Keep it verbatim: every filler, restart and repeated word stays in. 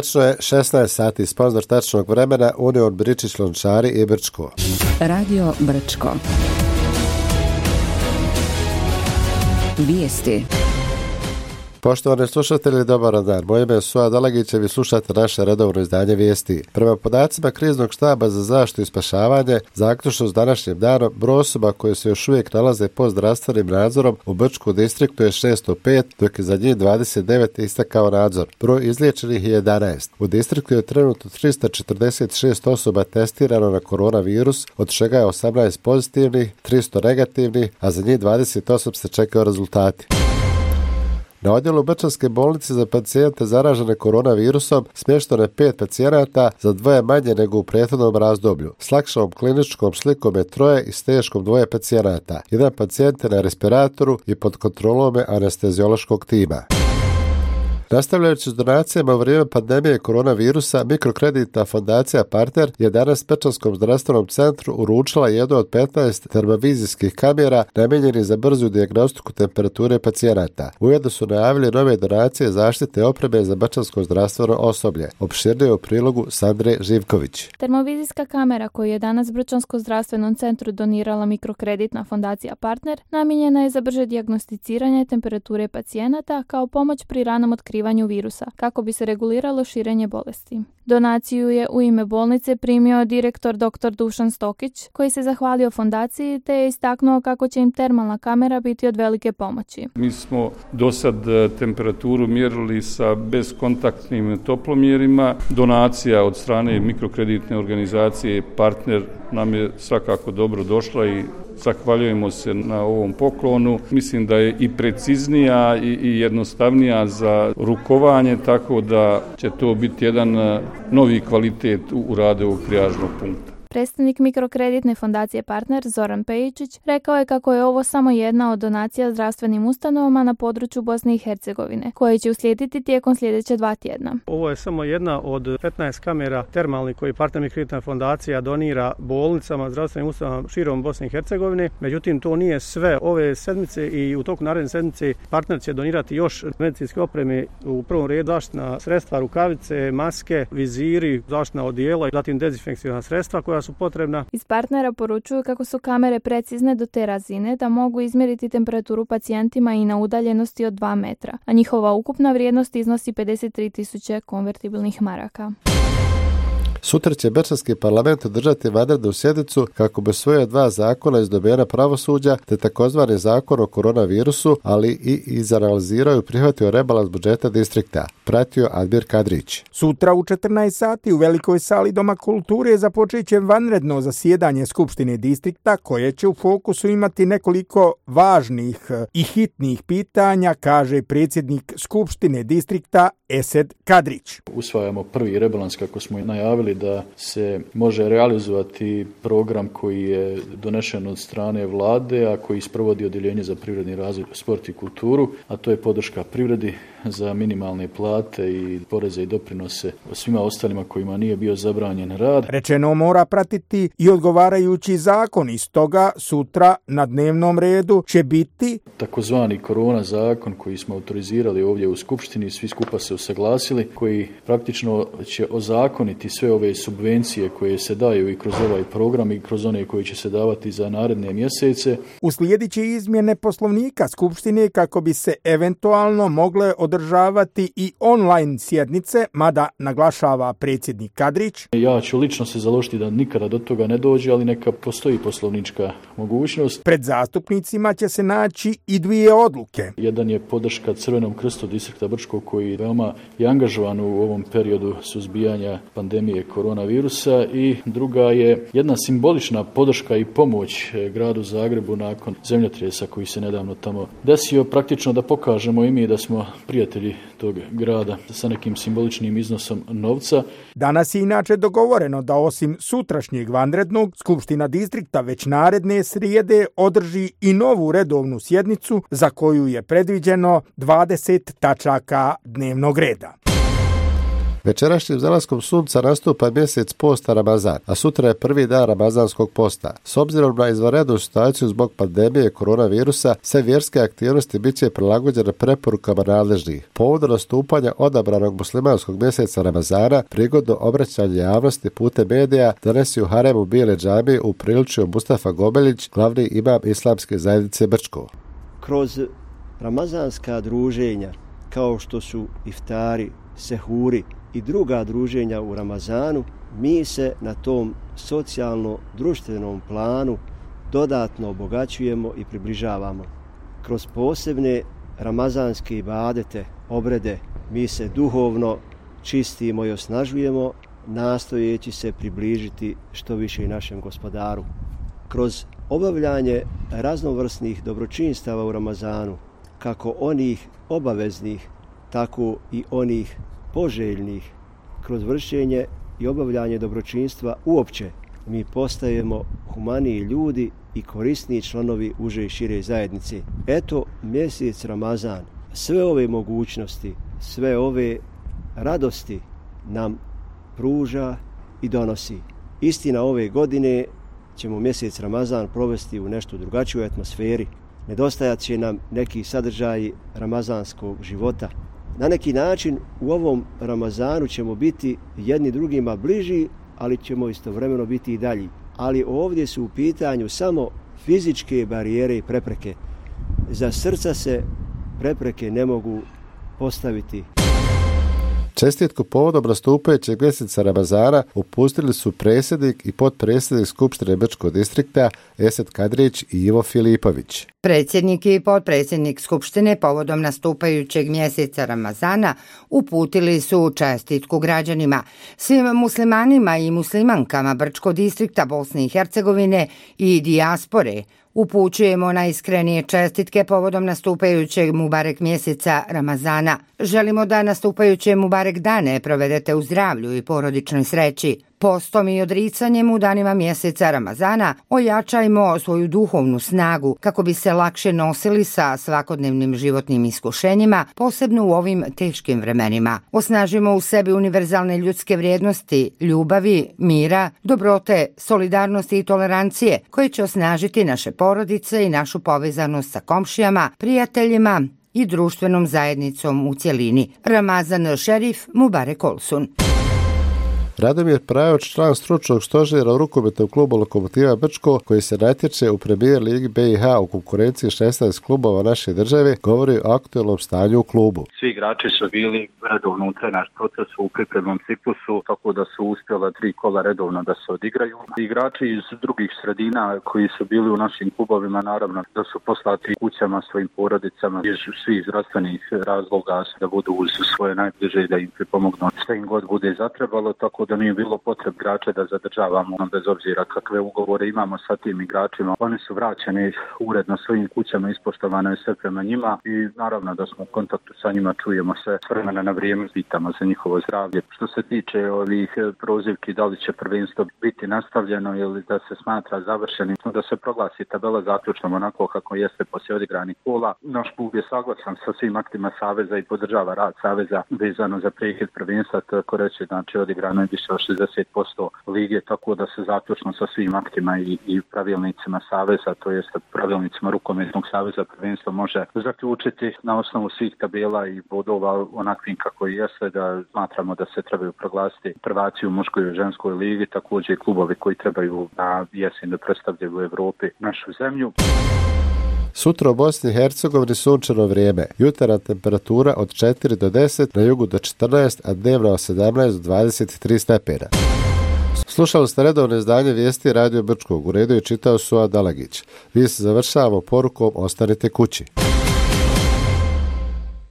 Tačno je šesnaest sati, sponzor tačnog vremena Union Bričić Lončari i Brčko. Radio Brčko. Vijesti. Poštovani slušatelji, dobar dan. Moje ime je Suad Dalagić, vi slušate naše redovno izdanje vijesti. Prema podacima Kriznog štaba za zaštitu i spašavanje, zaključno s današnjim danom, broj osoba koje se još uvijek nalaze pod zdravstvenim nadzorom u Brčkom distriktu je šesto pet, dok je za njih dvadeset devet istakao nadzor. Broj izliječenih je jedanaest. U distriktu je trenutno trista četrdeset šest osoba testirano na koronavirus, od čega je osamnaest pozitivnih, tristo negativnih, a za njih dvadeset osam se čekaju rezultati. Na odjelu Brčanske bolnice za pacijente zaražene koronavirusom smješteno je pet pacijenata, za dvoje manje nego u prethodnom razdoblju. S lakšom kliničkom slikom je troje i s teškom dvoje pacijenata. Jedan pacijent je na respiratoru i pod kontrolom je anesteziološkog tima. Nastavljajući s donacijama u vrijeme pandemije koronavirusa, mikrokreditna fondacija Partner je danas Pečanskom zdravstvenom centru uručila jednu od petnaest termovizijskih kamera namijenjenih za brzu dijagnostiku temperature pacijenata. Ujedno su najavili nove donacije zaštite opreme za pečansko zdravstveno osoblje. Opširnije u prilogu Sandre Živković. Termovizijska kamera koju je danas Brčanskom zdravstvenom centru donirala mikrokreditna fondacija Partner namijenjena je za brže dijagnosticiranje temperature pacijenata kao pomoć pri ranom otkrivanju virusa, kako bi se reguliralo širenje bolesti. Donaciju je u ime bolnice primio direktor dr. Dušan Stokić, koji se zahvalio fondaciji te je istaknuo kako će im termalna kamera biti od velike pomoći. Mi smo do sad temperaturu mjerili sa bezkontaktnim toplomjerima. Donacija od strane mikrokreditne organizacije Partner nam je svakako dobro došla i zahvaljujemo se na ovom poklonu. Mislim da je i preciznija i jednostavnija za rukovanje, tako da će to biti jedan novi kvalitet u radu ovog trijažnog punkta. Predstavnik mikrokreditne fondacije Partner Zoran Pejičić rekao je kako je ovo samo jedna od donacija zdravstvenim ustanovama na području Bosne i Hercegovine, koje će uslijediti tijekom sljedeće dva tjedna. Ovo je samo jedna od petnaest kamera termalnih koji Partner mikrokreditna fondacija donira bolnicama, zdravstvenim ustanovama širom Bosne i Hercegovine. Međutim, to nije sve. Ove sedmice i u toku naredne sedmice Partner će donirati još medicinske opreme, u prvom redu zaštitna sredstva, rukavice, maske, viziri, zaštitna odijela i zatim dezinfekcijska sredstva koja su potrebna. Iz Partnera poručuju kako su kamere precizne do te razine da mogu izmjeriti temperaturu pacijentima i na udaljenosti od dva metra, a njihova ukupna vrijednost iznosi pedeset tri tisuće konvertibilnih maraka. Sutra će Brčanski parlament održati vanrednu sjednicu kako bi usvojio dva zakona iz domena pravosuđa te takozvani zakon o koronavirusu, ali i izanalizirao i prihvatio rebalans budžeta distrikta. Pratio Admir Kadrić. Sutra u četrnaest sati u velikoj sali Doma kulture započet će vanredno zasjedanje Skupštine distrikta koje će u fokusu imati nekoliko važnih i hitnih pitanja, kaže predsjednik Skupštine distrikta Esed Kadrić. Usvajamo prvi rebalans kako smo i najavili da se može realizovati program koji je donešen od strane vlade, a koji sprovodi Odjeljenje za privredni razvoj, sport i kulturu, a to je podrška privredi za minimalne plate i poreze i doprinose svima ostalima kojima nije bio zabranjen rad. Rečeno mora pratiti i odgovarajući zakon, iz toga sutra na dnevnom redu će biti takozvani korona zakon koji smo autorizirali ovdje u Skupštini, svi skupa se usaglasili, koji praktično će ozakoniti sve ove subvencije koje se daju i kroz ovaj program i kroz one koji će se davati za naredne mjesece. Uslijedit će izmjene poslovnika Skupštine kako bi se eventualno mogle održavati i online sjednice, mada naglašava predsjednik Kadrić. Ja ću lično se založiti da nikada do toga ne dođe, ali neka postoji poslovnička mogućnost. Pred zastupnicima će se naći i dvije odluke. Jedan je podrška Crvenom krstu distrikta Brčko koji veoma je angažovan u ovom periodu suzbijanja pandemije koronavirusa i druga je jedna simbolična podrška i pomoć gradu Zagrebu nakon zemljotresa koji se nedavno tamo desio, praktično da pokažemo i mi da smo prijatelji tog grada sa nekim simboličnim iznosom novca. Danas je inače dogovoreno da osim sutrašnjeg vanrednog, Skupština distrikta već naredne srijede održi i novu redovnu sjednicu za koju je predviđeno dvadeset tačaka dnevnog reda. Večerašnjim zalaskom sunca nastupa mjesec posta Ramazan, a sutra je prvi dan ramazanskog posta. S obzirom na izvanrednu situaciju zbog pandemije koronavirusa, sve vjerske aktivnosti bit će prilagođene preporukama nadležnih. Povodom nastupanja odabranog muslimanskog mjeseca Ramazana, prigodno obraćanje javnosti putem medija danas je u haremu Bijele džamije upriličio Mustafa Gobeljić, glavni imam Islamske zajednice Brčko. Kroz ramazanska druženja, kao što su iftari, sehuri i druga druženja u Ramazanu, mi se na tom socijalno-društvenom planu dodatno obogaćujemo i približavamo. Kroz posebne ramazanske ibadete, obrede, mi se duhovno čistimo i osnažujemo, nastojeći se približiti što više i našem Gospodaru. Kroz obavljanje raznovrsnih dobročinstava u Ramazanu, kako onih obaveznih, tako i onih poželjnih, kroz vršenje i obavljanje dobročinstva uopće, mi postajemo humaniji ljudi i korisniji članovi uže i šire zajednice. Eto, mjesec Ramazan sve ove mogućnosti, sve ove radosti nam pruža i donosi. Istina, ove godine ćemo mjesec Ramazan provesti u nešto drugačijoj atmosferi. Nedostajat će nam neki sadržaji ramazanskog života. Na neki način u ovom Ramazanu ćemo biti jedni drugima bliži, ali ćemo istovremeno biti i dalji. Ali ovdje su u pitanju samo fizičke barijere i prepreke. Za srca se prepreke ne mogu postaviti. Čestitku povodom nastupajućeg mjeseca Ramazana upustili su predsjednik i potpredsjednik Skupštine Brčkog distrikta Esad Kadrić i Ivo Filipović. Predsjednik i potpredsjednik Skupštine povodom nastupajućeg mjeseca Ramazana uputili su čestitku građanima, svim muslimanima i muslimankama Brčkog distrikta Bosne i Hercegovine i dijaspore. Upućujemo najiskrenije čestitke povodom nastupajućeg Mubarek mjeseca Ramazana. Želimo da nastupajuće Mubarek dane provedete u zdravlju i porodičnoj sreći. Postom i odricanjem u danima mjeseca Ramazana ojačajmo svoju duhovnu snagu kako bi se lakše nosili sa svakodnevnim životnim iskušenjima, posebno u ovim teškim vremenima. Osnažimo u sebi univerzalne ljudske vrijednosti, ljubavi, mira, dobrote, solidarnosti i tolerancije koje će osnažiti naše porodice i našu povezanost sa komšijama, prijateljima i društvenom zajednicom u cjelini. Ramazan Šerif, Mubarek Olsun. Radomir Prajović, član stručnog stožera u rukometnom klubu Lokomotiva Brčko, koji se natječe u Premier ligi B i H u konkurenciji šesnaest klubova naše države, govori o aktualnom stanju u klubu. Svi igrači su bili redovno u trenažnom procesu u pripremnom ciklusu, tako da su uspjela tri kola redovno da se odigraju. Igrači iz drugih sredina koji su bili u našim klubovima, naravno da su poslati kućama svojim porodicama iz svih zdravstvenih razloga da budu uz svoje najbliže i da im pripomognu šta im god bude zatrebalo, tako da nije bilo potreb igrača da zadržavamo bez obzira kakve ugovore imamo sa tim igračima. Oni su vraćeni uredno svojim kućama, ispoštovano je sve prema njima i naravno da smo u kontaktu sa njima, čujemo se s vremena na vrijeme, pitamo za njihovo zdravlje. Što se tiče ovih prozivki da li će prvenstvo biti nastavljeno ili da se smatra završenim, da se proglasi tabela zaključnom onako kako jeste poslije odigranih kola. Naš klub je saglasan sa svim aktima Saveza i podržava rad Saveza vezano za prekid prvenstva, tako reći, znači odigrano je više od šezdeset posto lige, tako da se zaključno sa svim aktima i, i pravilnicima Saveza, to jest pravilnicima Rukometnog saveza, prvenstvo može zaključiti na osnovu svih tabela i bodova onakvim kako i jeste, da smatramo da se trebaju proglasiti prvaci u muškoj i ženskoj ligi, također i klubovi koji trebaju na jesen da predstavljaju u Evropi našu zemlju. Sutra u Bosni i Hercegovini sunčano vrijeme. Jutarnja temperatura od četiri do deset, na jugu do četrnaest, a dnevna od sedamnaest do dvadeset tri stepena. Slušali ste redovno izdanje vijesti Radio Brčkog. U redu je čitao Suad Dalagić. Vi se završavamo porukom ostanite kući.